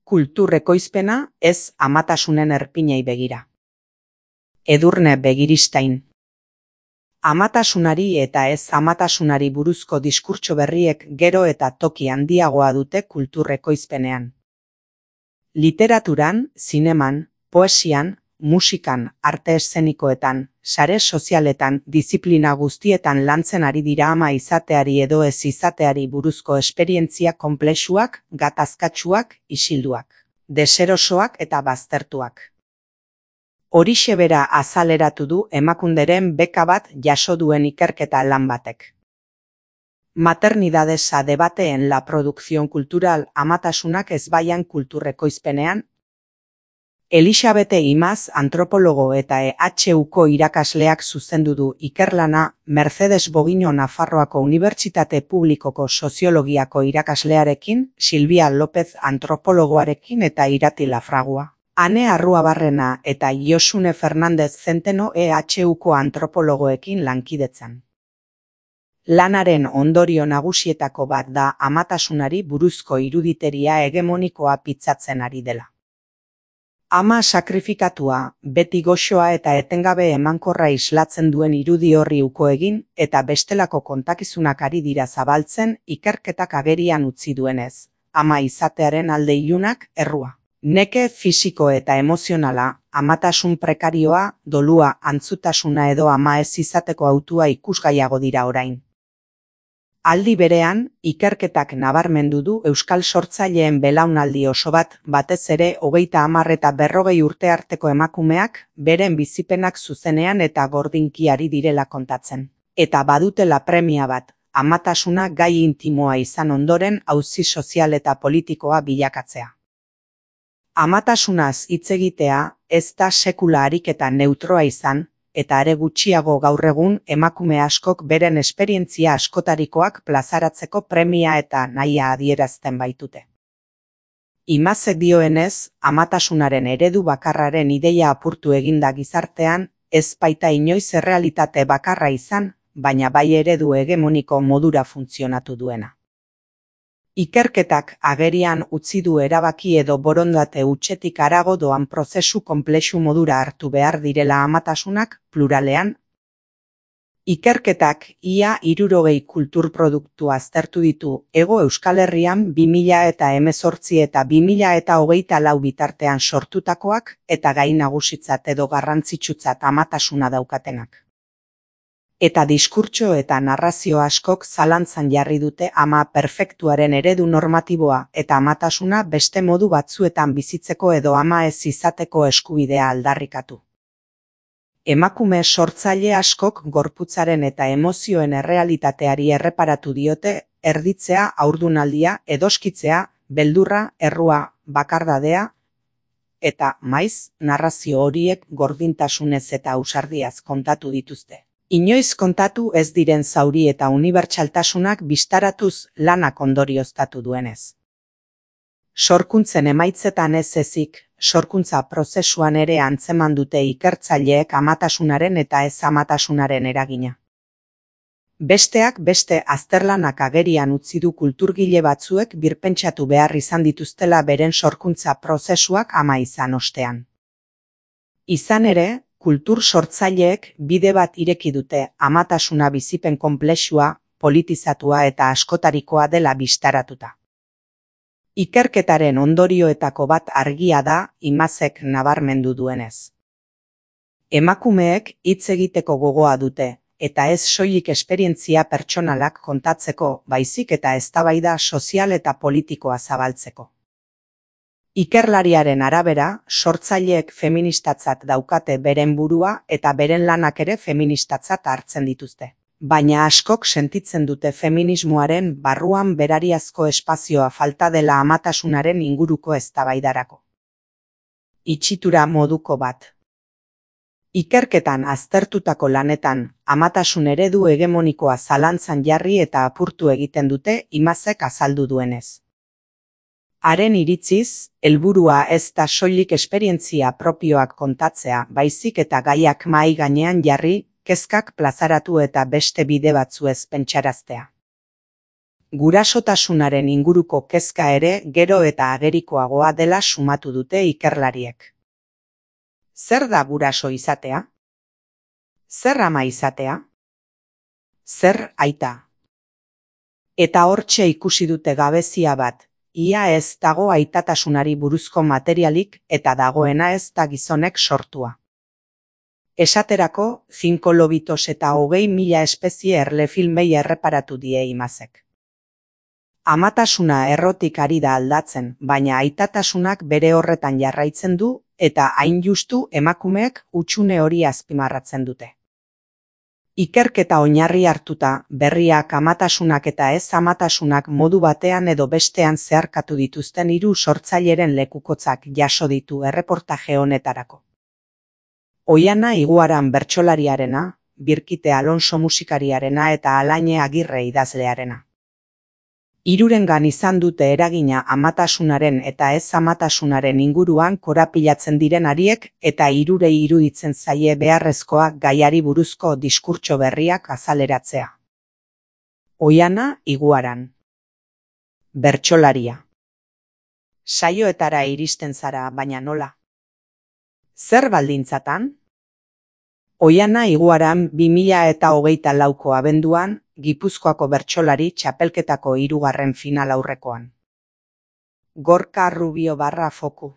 Kultur ekoizpena ez amatasunen erpinei begira. Edurne Begiristain. Amatasunari eta ez amatasunari buruzko diskurtso berriek gero eta toki handiagoa dute kultur ekoizpenean. Literaturan, zineman, poesian, musikan, arte eszenikoetan, sare sozialetan, diziplina guztietan lantzen ari dira ama izateari edo ez izateari buruzko esperientzia konplexuak, gatazkatsuak, isilduak, deserosoak eta baztertuak. Horixe bera azaleratu du Emakunderen beka bat jaso duen ikerketa lan batek. Maternidades a debate en la producción cultural amatasunak ezbaian kultur ekoizpenean. Elisabete Imaz antropologo eta EHUko irakasleak zuzendu du ikerlana Mercedes Bogino Nafarroako Unibertsitate Publikoko Soziologiako irakaslearekin, Silvia López antropologoarekin eta Irati Lafragua. Ane Arruabarrena eta Josune Fernandez Zenteno EHUko antropologoekin lankidetzan. Lanaren ondorio nagusietako bat da amatasunari buruzko iruditeria hegemonikoa pitzatzen ari dela. Ama sakrifikatua, beti goxoa eta etengabe emankorra islatzen duen irudi horri uko egin eta bestelako kontakizunak ari dira zabaltzen ikerketak agerian utzi duenez, ama izatearen alde ilunak errua. Neke fisiko eta emozionala, amatasun prekarioa, dolua, antzutasuna edo ama ez izateko hautua ikusgaiago dira orain. Aldi berean, ikerketak nabarmendu du euskal sortzaileen belaunaldi oso bat, batez ere 30 eta 40 urte arteko emakumeak, beren bizipenak zuzenean eta gordinki ari direla kontatzen. Eta badutela premia bat, amatasuna gai intimoa izan ondoren auzi sozial eta politikoa bilakatzea. Amatasunaz hitz egitea ez da sekula ariketa neutroa izan, eta are gutxiago gaur egun emakume askok beren esperientzia askotarikoak plazaratzeko premia eta nahia adierazten baitute. Imazek dioenez, amatasunaren eredu bakarraren ideia apurtu eginda gizartean, ez baita inoiz errealitate bakarra izan, baina bai eredu hegemoniko modura funtzionatu duena. Ikerketak agerian utzi du erabaki edo borondate hutsetik harago doan prozesu konplexu modura hartu behar direla amatasunak pluralean. Ikerketak ia 60 kulturproduktu aztertu ditu Hego Euskal Herrian 2018 eta 2024 bitartean sortutakoak eta gai nagusitzat edo garrantzitsutzat amatasuna daukatenak. Eta diskurtso eta narrazio askok zalantzan jarri dute ama perfektuaren eredu normatiboa eta amatasuna beste modu batzuetan bizitzeko edo ama ez izateko eskubidea aldarrikatu. Emakume sortzaile askok gorputzaren eta emozioen errealitateari erreparatu diote, erditzea, haurdunaldia, edoskitzea, beldurra, errua, bakardadea, eta maiz, narrazio horiek gordintasunez eta ausardiaz kontatu dituzte. Inoiz kontatu ez diren zauri eta unibertsaltasunak bistaratuz lanak ondorioztatu duenez. Sorkuntzen emaitzetan ez ezik, sorkuntza prozesuan ere antzeman dute ikertzaileek amatasunaren eta ez amatasunaren eragina. Besteak beste azterlanak agerian utzi du kulturgile batzuek birpentsatu behar izan dituztela beren sorkuntza prozesuak ama izan ostean. Izan ere, kultur sortzaileek bide bat ireki dute amatasuna bizipen konplexua, politizatua eta askotarikoa dela bistaratuta. Ikerketaren ondorioetako bat argia da Imazek nabarmendu duenez. Emakumeek hitz egiteko gogoa dute, eta ez soilik esperientzia pertsonalak kontatzeko, baizik eta eztabaida sozial eta politikoa zabaltzeko. Ikerlariaren arabera, sortzaileek feministatzat daukate beren burua eta beren lanak ere feministatzat hartzen dituzte. Baina askok sentitzen dute feminismoaren barruan berariazko espazioa falta dela amatasunaren inguruko eztabaidarako. Itxitura moduko bat. Ikerketan aztertutako lanetan, amatasun eredu hegemonikoa zalantzan jarri eta apurtu egiten dute Imazek azaldu duenez. Haren iritziz, helburua ez da soilik esperientzia propioak kontatzea, baizik eta gaiak mahai gainean jarri, kezkak plazaratu eta beste bide batzuez pentsaraztea. Gurasotasunaren inguruko kezka ere gero eta agerikoagoa dela sumatu dute ikerlariek. Zer da guraso izatea? Zer ama izatea? Zer aita? Eta hortxe ikusi dute gabezia bat, ia ez dago aitatasunari buruzko materialik eta dagoena ez da gizonek sortua. Esaterako, 5 lobitos eta 20.000 espezie erlefilmei erreparatu die imazek. Amatasuna errotik ari da aldatzen, baina aitatasunak bere horretan jarraitzen du eta hain justu emakumeek hutsune hori azpimarratzen dute. Ikerketa oinarri hartuta, berriak amatasunak eta ez amatasunak modu batean edo bestean zeharkatu dituzten 3 sortzaileren lekukotzak jaso ditu erreportaje honetarako. Oiana Iguaran bertsolariarena, Birkite Alonso musikariarena eta Alaine Agirre idazlearena. Hirurengan izan dute eragina amatasunaren eta ez amatasunaren inguruan korapilatzen diren hariek eta hirurei iruditzen zaie beharrezkoa gaiari buruzko diskurtso berriak azaleratzea. Oiana Iguaran. Bertsolaria. Saioetara iristen zara, baina nola? Zer baldintzatan? Oiana Iguaran 2024ko abenduan, Gipuzkoako bertsolari txapelketako 3. final aurrekoan. Gorka Rubio _foku.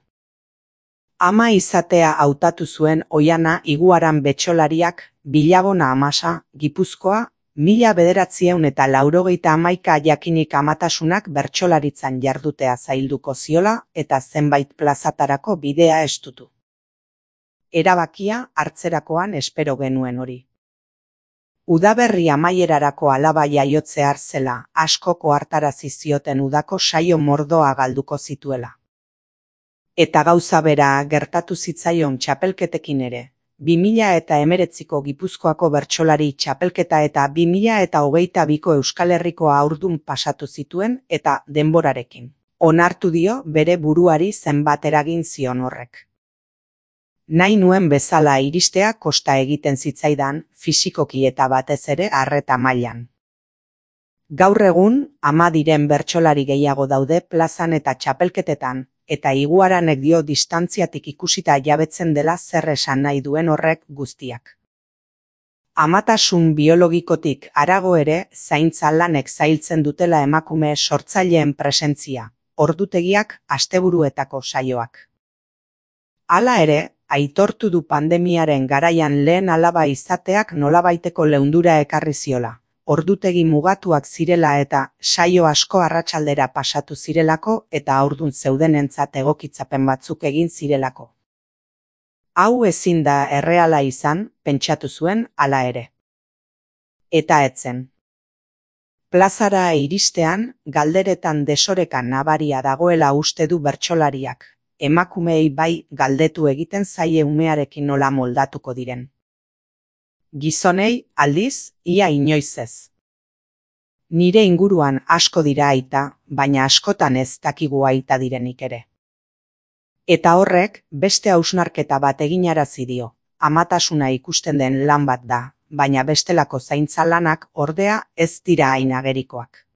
Ama izatea hautatu zuen Oiana Iguaran betsolariak Bilabona Amasa, Gipuzkoa, 1991 jakinik amatasunak bertsolaritzan jardutea zailduko ziola eta zenbait plazatarako bidea estutu. Erabakia hartzerakoan espero genuen hori. Udaberri amaierarako alaba jaiotzear zela askoko hartarazi zioten udako saio mordoa galduko zituela. Eta gauza bera gertatu zitzaion txapelketekin ere, 2019ko Gipuzkoako bertsolari txapelketa eta 2022ko Euskal Herriko haurdun pasatu zituen eta denborarekin. Onartu dio bere buruari zenbat eragin zion horrek. Nahi nuen bezala iristea kosta egiten zitzaidan, fisikoki eta batez ere arreta mailan. Gaur egun, ama diren bertsolari gehiago daude plazan eta txapelketetan, eta Iguaranek dio distantziatik ikusita jabetzen dela zer esan nahi duen horrek guztiak. Amatasun biologikotik harago ere, zaintza lanek zailtzen dutela emakume sortzaileen presentzia, ordutegiak, asteburuetako saioak. Hala ere, aitortu du pandemiaren garaian lehen alaba izateak nolabaiteko leundura ekarri ziola, ordutegi mugatuak zirela eta saio asko arratsaldera pasatu zirelako eta haurdun zeudenentzat egokitzapen batzuk egin zirelako. Hau ezin da erreala izan, pentsatu zuen hala ere. Eta etzen. Plazara iristean, galderetan desorekan nabaria dagoela uste du bertsolariak. Emakumeei bai galdetu egiten zaie umearekin nola moldatuko diren. Gizonei, aldiz, ia inoiz ez. Nire inguruan asko dira aita, baina askotan ez dakigu aita direnik ere. Eta horrek, beste hausnarketa bat eginarazi dio, amatasuna ikusten den lan bat da, baina bestelako zaintza lanak ordea ez dira hain agerikoak.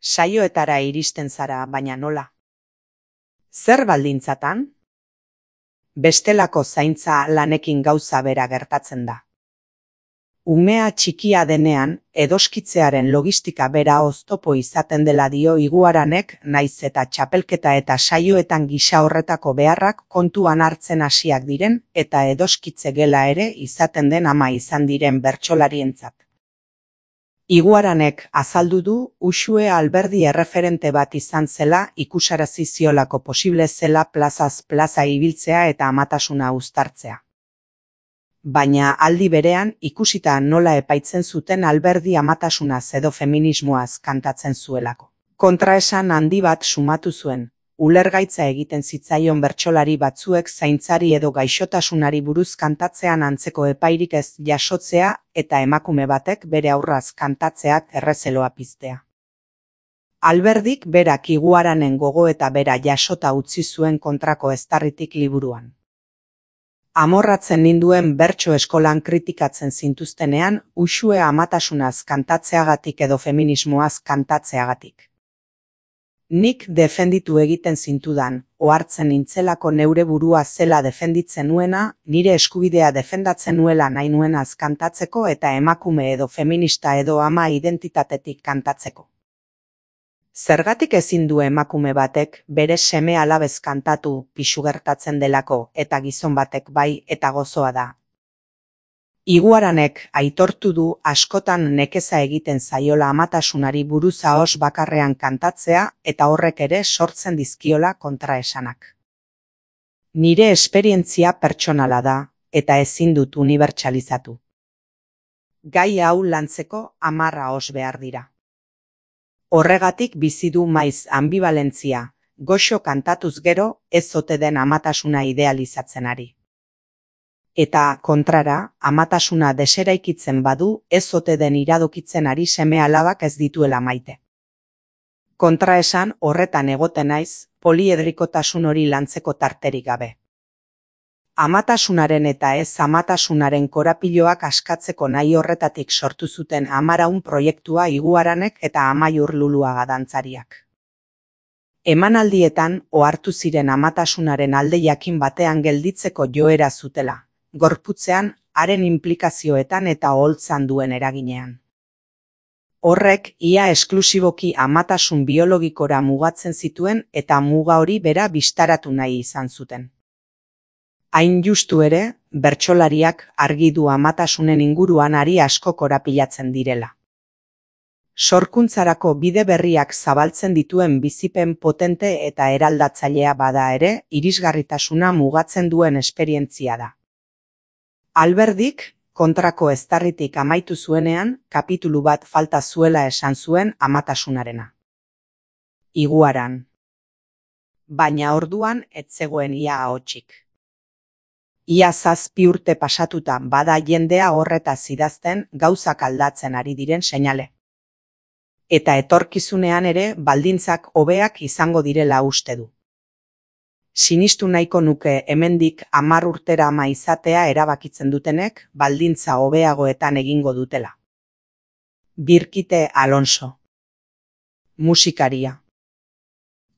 Saioetara iristen zara, baina nola? Zer baldintzatan? Bestelako zaintza lanekin gauza bera gertatzen da. Umea txikia denean, edoskitzearen logistika bera oztopo izaten dela dio Iguaranek, naiz eta txapelketa eta saioetan gisa horretako beharrak kontuan hartzen hasiak diren eta edoskitze gela ere izaten den ama izan diren bertsolarientzat. Iguaranek azaldu du Uxue Alberdi erreferente bat izan zela ikusarazi ziolako posible zela plazaz plaza ibiltzea eta amatasuna uztartzea. Baina aldi berean ikusita nola epaitzen zuten Alberdi amatasunaz edo feminismoaz kantatzen zuelako. Kontraesan handi bat sumatu zuen, ulergaitza egiten zitzaion bertsolari batzuek zaintzari edo gaixotasunari buruz kantatzean antzeko epairik ez jasotzea eta emakume batek bere aurraz kantatzeak errezeloa piztea. Alberdik berak Iguaranen gogo eta bera jasota utzi zuen kontrako eztarritik liburuan. Amorratzen ninduen bertso eskolan kritikatzen zintuztenean, uxue amatasunaz kantatzeagatik edo feminismoaz kantatzeagatik. Nik defenditu egiten zintudan, ohartzen nintzelako neure burua zela defenditzen nuena, nire eskubidea defendatzen nuela nahi nuenaz kantatzeko eta emakume edo feminista edo ama identitatetik kantatzeko. Zergatik ezin du emakume batek bere seme alabez kantatu pisu gertatzen delako eta gizon batek bai eta gozoa da. Iguaranek aitortu du askotan nekeza egiten zaiola amatasunari buruz ahos bakarrean kantatzea eta horrek ere sortzen dizkiola kontraesanak. Nire esperientzia pertsonala da eta ezin dut unibertsalizatu. Gai hau lantzeko 10 ahos behar dira. Horregatik bizi du maiz ambivalentzia, goxo kantatuz gero ez ote den amatasuna idealizatzen ari. Eta, kontrara, amatasuna deseraikitzen badu ez ote den iradokitzen ari seme alabak ez dituela maite. Kontraesan horretan egoten naiz, poliedrikotasun hori lantzeko tarterik gabe. Amatasunaren eta ez amatasunaren korapiloak askatzeko nahi horretatik sortu zuten Amaraun proiektua Iguaranek eta Amaiur Luluaga dantzariak. Emanaldietan ohartu ziren amatasunaren alde jakin batean gelditzeko joera zutela, gorputzean, haren inplikazioetan eta oholtzan duen eraginean. Horrek ia esklusiboki amatasun biologikora mugatzen zituen eta muga hori bera bistaratu nahi izan zuten. Hain justu ere, bertsolariak argi du amatasunen inguruan ari asko korapilatzen direla. Sorkuntzarako bide berriak zabaltzen dituen bizipen potente eta eraldatzailea bada ere, irisgarritasuna mugatzen duen esperientzia da. Alberdik, kontrako eztarritik amaitu zuenean, kapitulu bat falta zuela esan zuen amatasunarena. Iguaran. Baina orduan ez zegoen ia ahotsik. Ia 7 urte pasatuta bada jendea horretaz idazten gauzak aldatzen ari diren seinale. Eta etorkizunean ere baldintzak hobeak izango direla uste du. Sinistu nahiko nuke hemendik 10 urtera ama izatea erabakitzen dutenek baldintza hobeagoetan egingo dutela. Birkite Alonso. Musikaria.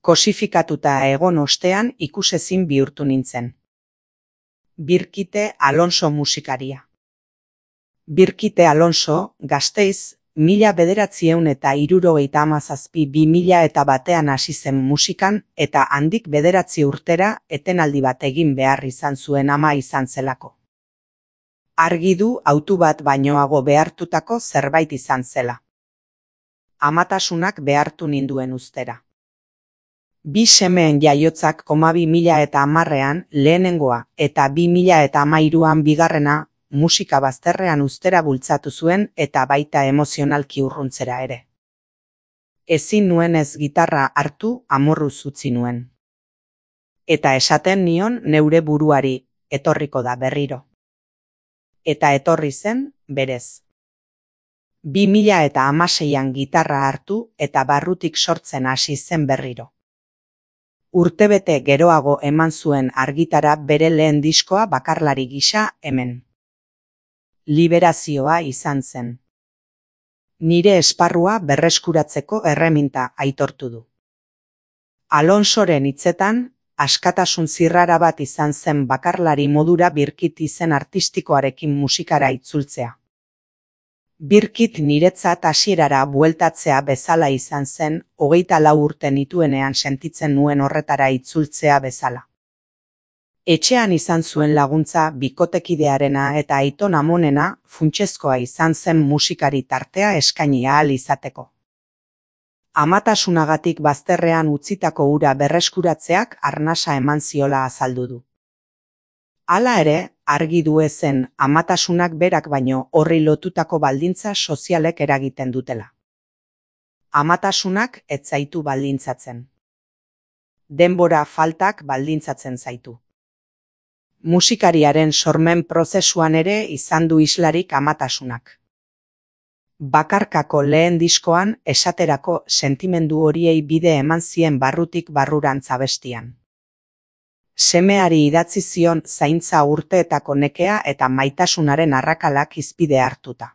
Kosifikatuta egon ostean ikusezin bihurtu nintzen. Birkite Alonso musikaria. Birkite Alonso, Gasteiz, 1977-2001 hasi zen musikan eta handik 9 urtera etenaldi bat egin behar izan zuen ama izan zelako. Argi du autu bat bainoago behartutako zerbait izan zela. Amatasunak behartu ninduen ustera. 2 semeen jaiotzak 2010ean lehenengoa eta 2013an bigarrena musika bazterrean ustera bultzatu zuen eta baita emozionalki urruntzera ere. Ezin nuen ez gitarra hartu amorruz utzi nuen. Eta esaten nion neure buruari, etorriko da berriro. Eta etorri zen, berez. 2016an gitarra hartu eta barrutik sortzen hasi zen berriro. Urtebete geroago eman zuen argitara bere lehen diskoa bakarlari gisa hemen. Liberazioa izan zen. Nire esparrua berreskuratzeko erreminta aitortu du. Alonsoren hitzetan, askatasun zirrara bat izan zen bakarlari modura Birkit izen artistikoarekin musikara itzultzea. Birkit niretzat hasierara bueltatzea bezala izan zen 24 urte nituenean sentitzen nuen horretara itzultzea bezala. Etxean izan zuen laguntza bikotekidearena eta Aiton Amonena funtsezkoa izan zen musikari tartea eskaini ahal izateko. Amatasunagatik bazterrean utzitako ura berreskuratzeak arnasa eman ziola azaldu du. Hala ere, argi du ezen amatasunak berak baino horri lotutako baldintza sozialek eragiten dutela. Amatasunak ez zaitu baldintzatzen. Denbora faltak baldintzatzen zaitu. Musikariaren sormen prozesuan ere izan du islarik amatasunak. Bakarkako lehen diskoan esaterako sentimendu horiei bide eman zien barrutik barrurantz abestian. Semeari idatzi zion zaintza urteetako nekea eta maitasunaren arrakalak hizpide hartuta.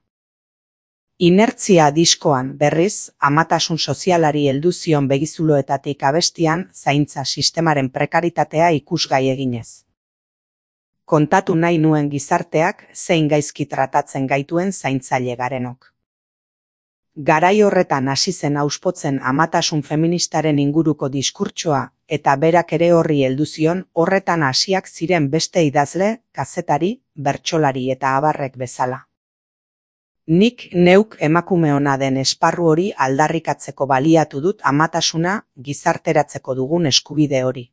Inertzia diskoan, berriz, amatasun sozialari heldu zion begizuloetatik abestian zaintza sistemaren prekaritatea ikusgai eginez. Kontatu nahi nuen gizarteak zein gaizki tratatzen gaituen zaintzaile garenok. Garai horretan hasi zen auspotzen amatasun feministaren inguruko diskurtsoa eta berak ere horri heldu zion horretan hasiak ziren beste idazle, kazetari, bertsolari eta abarrek bezala. Nik neuk emakume ona den esparru hori aldarrikatzeko baliatu dut amatasuna gizarteratzeko dugun eskubide hori.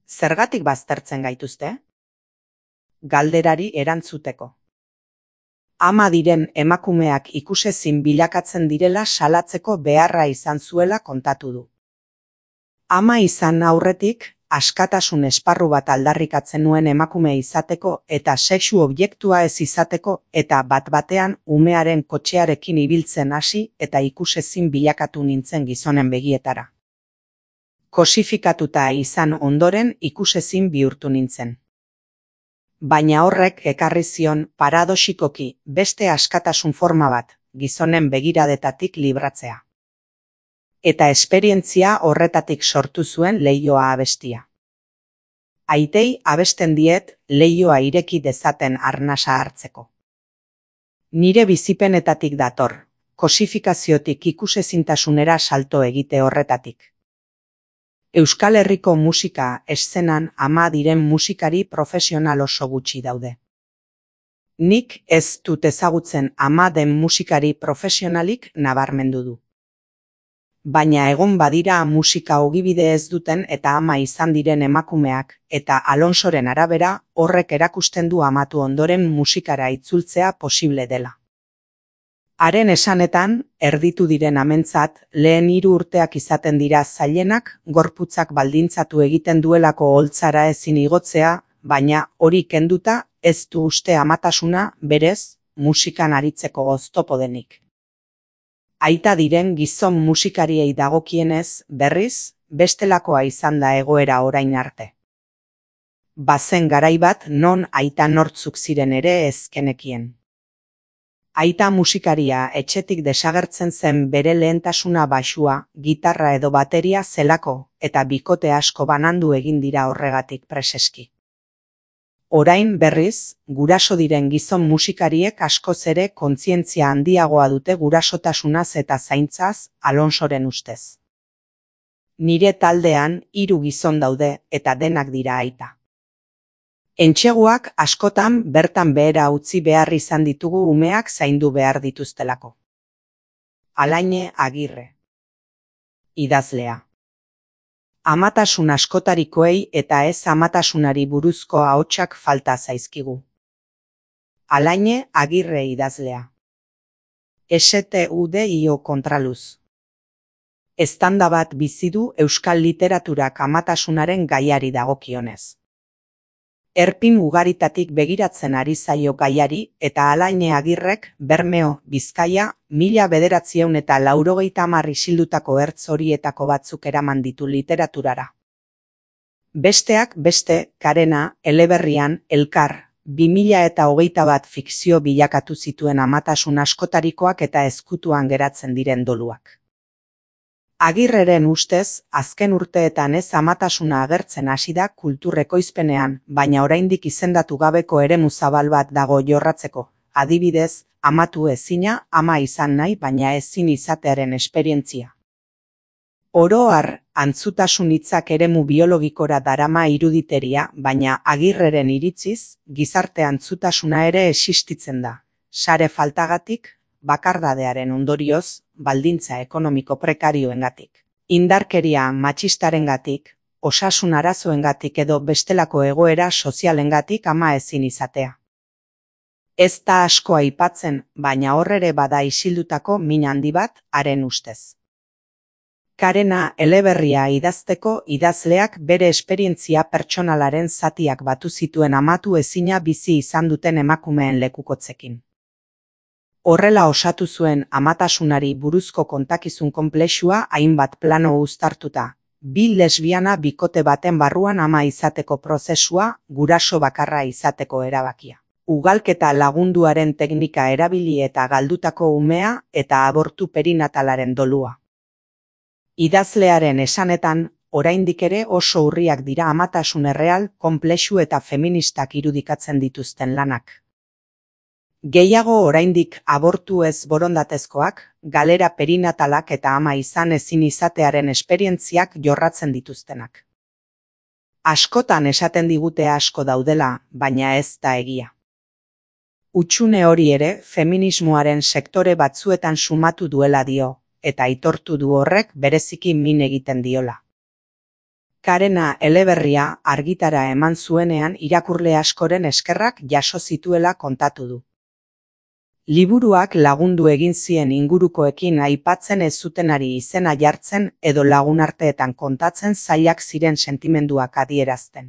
Zergatik baztertzen gaituzte? Galderari erantzuteko. Ama diren emakumeak ikusezin bilakatzen direla salatzeko beharra izan zuela kontatu du. Ama izan aurretik, askatasun esparru bat aldarrikatzen nuen emakume izateko eta sexu objektua ez izateko eta bat-batean umearen kotxearekin ibiltzen hasi eta ikusezin bilakatu nintzen gizonen begietara. Kosifikatuta izan ondoren ikusezin bihurtu nintzen. Baina horrek ekarri zion paradoxikoki beste askatasun forma bat, gizonen begiradetatik libratzea. Eta esperientzia horretatik sortu zuen leihoa abestia. Aitei abesten diet leihoa ireki dezaten arnasa hartzeko. Nire bizipenetatik dator, kosifikaziotik ikusezintasunera salto egite horretatik. Euskal Herriko musika eszenan ama diren musikari profesional oso gutxi daude. Nik ez dut ezagutzen ama den musikari profesionalik nabarmendu du. Baina egon badira musika ogibide ez duten eta ama izan diren emakumeak eta Alonsoren arabera horrek erakusten du amatu ondoren musikara itzultzea posible dela. Haren esanetan, erditu diren amentzat, lehen 3 urteak izaten dira zailenak, gorputzak baldintzatu egiten duelako holtzara ezin igotzea, baina hori kenduta ez du uste amatasuna, berez, musikan aritzeko oztopo denik. Aita diren gizon musikariei dagokienez, berriz, bestelakoa izan da egoera orain arte. Bazen garai bat non aita nortzuk ziren ere ezkenekien. Aita musikaria etxetik desagertzen zen bere lehentasuna baxua, gitarra edo bateria zelako eta bikote asko banandu egin dira horregatik preseski. Orain berriz, guraso diren gizon musikariek askoz ere kontzientzia handiagoa dute gurasotasunaz eta zaintzaz Alonsoren ustez. Nire taldean 3 gizon daude eta denak dira aita. Entseguak askotan bertan behera utzi behar izan ditugu umeak zaindu behar dituztelako. Alaine Agirre. Idazlea. Amatasun askotarikoei eta ez amatasunari buruzko ahotsak falta zaizkigu. Alaine Agirre idazlea. STUDIO kontraluz. Eztanda bat bizi du euskal literaturak amatasunaren gaiari dagokionez. Erpin ugaritatik begiratzen ari zaio gaiari eta Alaine Agirrek Bermeo, Bizkaia, 1980 isildutako ertz horietako batzuk eraman ditu literaturara. Besteak beste, Karena, Eleberrian, Elkar, 2021 fikzio bilakatu zituen amatasun askotarikoak eta ezkutuan geratzen diren doluak. Agirreren ustez, azken urteetan ez amatasuna agertzen hasi da kultur ekoizpenean, baina oraindik izendatu gabeko eremu zabal bat dago jorratzeko. Adibidez, amatu ezina, ama izan nahi baina ezin izatearen esperientzia. Oro har, antzutasun hitzak eremu biologikora darama iruditeria, baina Agirreren iritziz, gizarte antzutasuna ere existitzen da. Sare faltagatik, bakardadearen ondorioz, baldintza ekonomiko prekarioengatik, indarkeria matxistarengatik, osasun arazoengatik edo bestelako egoera sozialengatik ama ezin izatea. Ez da asko aipatzen, baina horrere bada isildutako min handi bat haren ustez. Karena eleberria idazteko idazleak bere esperientzia pertsonalaren zatiak batu zituen amatu ezina bizi izan duten emakumeen lekukotzekin. Horrela osatu zuen amatasunari buruzko kontakizun konplexua hainbat plano uztartuta, Bi lesbiana bikote baten barruan ama izateko prozesua, guraso bakarra izateko erabakia. Ugalketa lagunduaren teknika erabili eta galdutako umea eta abortu perinatalaren dolua. Idazlearen esanetan, oraindik ere oso urriak dira amatasun erreal, konplexu eta feministak irudikatzen dituzten lanak. Gehiago oraindik abortu ez borondatezkoak, galera perinatalak eta ama izan ezin izatearen esperientziak jorratzen dituztenak. Askotan esaten digute asko daudela, baina ez da egia. Hutsune hori ere feminismoaren sektore batzuetan sumatu duela dio, eta aitortu du horrek bereziki min egiten diola. Karena eleberria argitara eman zuenean irakurle askoren eskerrak jaso zituela kontatu du. Liburuak lagundu egin zien ingurukoekin aipatzen ez zutenari izena jartzen edo lagunarteetan kontatzen zailak ziren sentimenduak adierazten.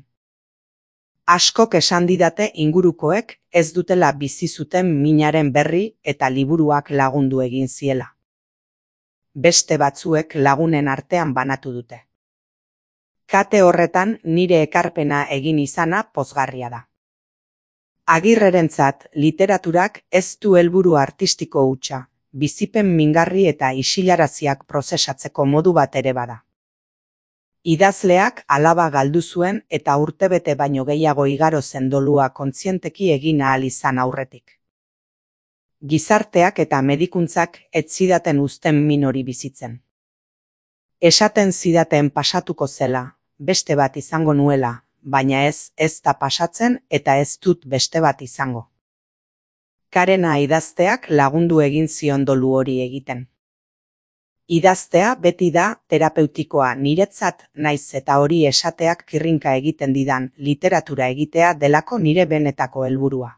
Askok esan didate ingurukoek ez dutela bizi zuten minaren berri eta liburuak lagundu egin ziela. Beste batzuek lagunen artean banatu dute. Kate horretan nire ekarpena egin izana pozgarria da. Agirrerentzat literaturak ez du helburu artistiko hutsa, bizipen mingarri eta isilaraziak prozesatzeko modu bat ere bada. Idazleak alaba galdu zuen eta urtebete baino gehiago igaro zen dolua kontzienteki egin ahal izan aurretik. Gizarteak eta medikuntzak ez zidaten uzten min hori bizitzen. Esaten zidaten pasatuko zela, beste bat izango nuela, baina ez da pasatzen eta ez dut beste bat izango. Karena idazteak lagundu egin zion dolu hori egiten. Idaztea beti da terapeutikoa niretzat, naiz eta hori esateak kirrinka egiten didan literatura egitea delako nire benetako helburua.